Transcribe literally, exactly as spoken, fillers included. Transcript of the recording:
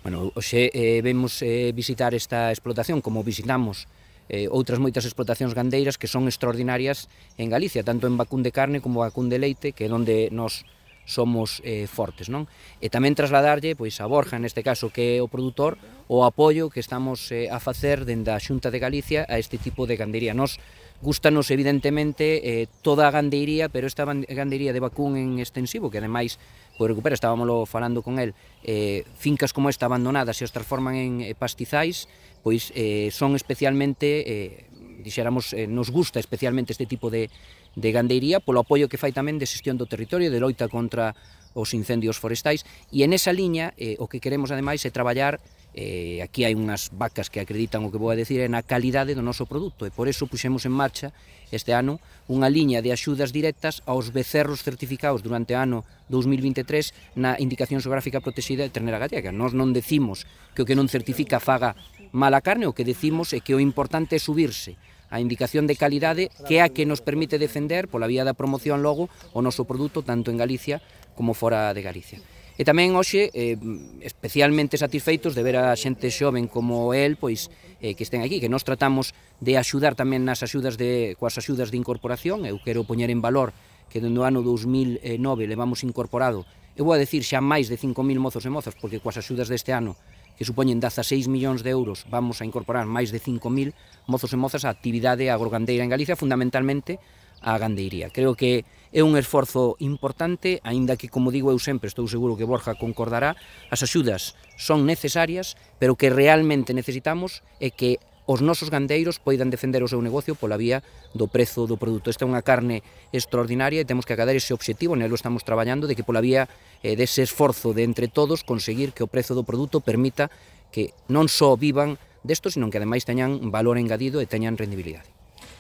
Bueno, hoxe eh, vemos eh, visitar esta explotación como visitamos eh, outras moitas explotacións gandeiras que son extraordinarias en Galicia, tanto en vacún de carne como vacún de leite, que é onde nos somos eh, fortes, non? E tamén trasladarlle pois, a Borja, neste caso, que é o produtor, o apoio que estamos eh, a facer dende a Xunta de Galicia a este tipo de gandeiría. Nos gustanos, evidentemente, eh, toda a gandeiría, pero esta gandeiría de vacún en extensivo, que ademais pois recupera, estábamoslo falando con el, eh, fincas como esta abandonadas e os transforman en eh, pastizais, pois eh, son especialmente, eh, dixéramos, eh, nos gusta especialmente este tipo de, de gandeiría polo apoio que fai tamén de xestión do territorio, de loita contra os incendios forestais, e en esa liña eh, o que queremos ademais é traballar, eh, aquí hai unhas vacas que acreditan o que vou a decir, é na calidade do noso produto, e por eso puxemos en marcha este ano unha liña de axudas directas aos becerros certificados durante o ano dous mil vinte e tres na indicación xeográfica protexida de ternera gallega. Nós non decimos que o que non certifica faga mala carne, o que decimos é que o importante é subirse a indicación de calidade, que é a que nos permite defender pola vía da promoción logo o noso produto tanto en Galicia como fora de Galicia. E tamén hoxe, eh, especialmente satisfeitos de ver a xente xoven como el, pois, eh, que estén aquí, que nós tratamos de axudar tamén nas axudas de, coas axudas de incorporación. Eu quero poñer en valor que dende o ano dous mil nove levamos incorporado, eu vou a decir xa máis de cinco mil mozos e mozas, porque coas axudas deste ano, que supoñen dezaseis millóns de euros, vamos a incorporar máis de cinco mil mozos e mozas á actividade agrogandeira en Galicia, fundamentalmente a gandeiría. Creo que é un esforzo importante, aínda que, como digo eu sempre, estou seguro que Borja concordará, as axudas son necesarias, pero que realmente necesitamos é que os nosos gandeiros poidan defender o seu negocio pola vía do prezo do produto. Esta é unha carne extraordinaria e temos que acadar ese obxectivo, nelo estamos traballando, de que pola vía eh, dese esforzo de entre todos conseguir que o prezo do produto permita que non só vivan desto, sino que ademais teñan valor engadido e teñan rendibilidade.